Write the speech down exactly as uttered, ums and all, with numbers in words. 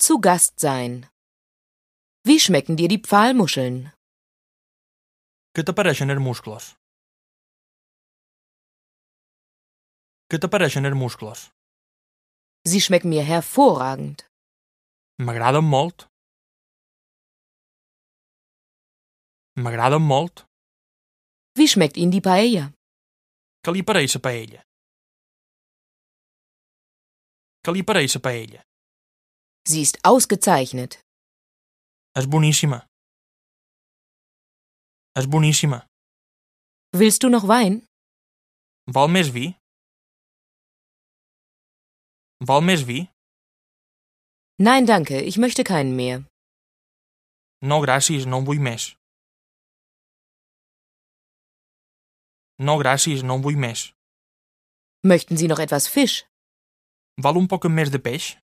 Zu Gast sein. Wie schmecken dir die Pfahlmuscheln? Què t'apareixen els musclos? Què t'apareixen els musclos? Sie schmecken mir hervorragend. M'agraden molt. M'agraden molt. Wie schmeckt Ihnen die Paella? Què li pareix la paella? Què li pareix la paella? Sie ist ausgezeichnet. És boníssima. És boníssima. Willst du noch Wein? Vol més vi? Vol més vi? Nein, danke, ich möchte keinen mehr. No, gràcies, no en vull més. No, gràcies, no en vull més. Möchten Sie noch etwas Fisch? Vol un poc més de peix?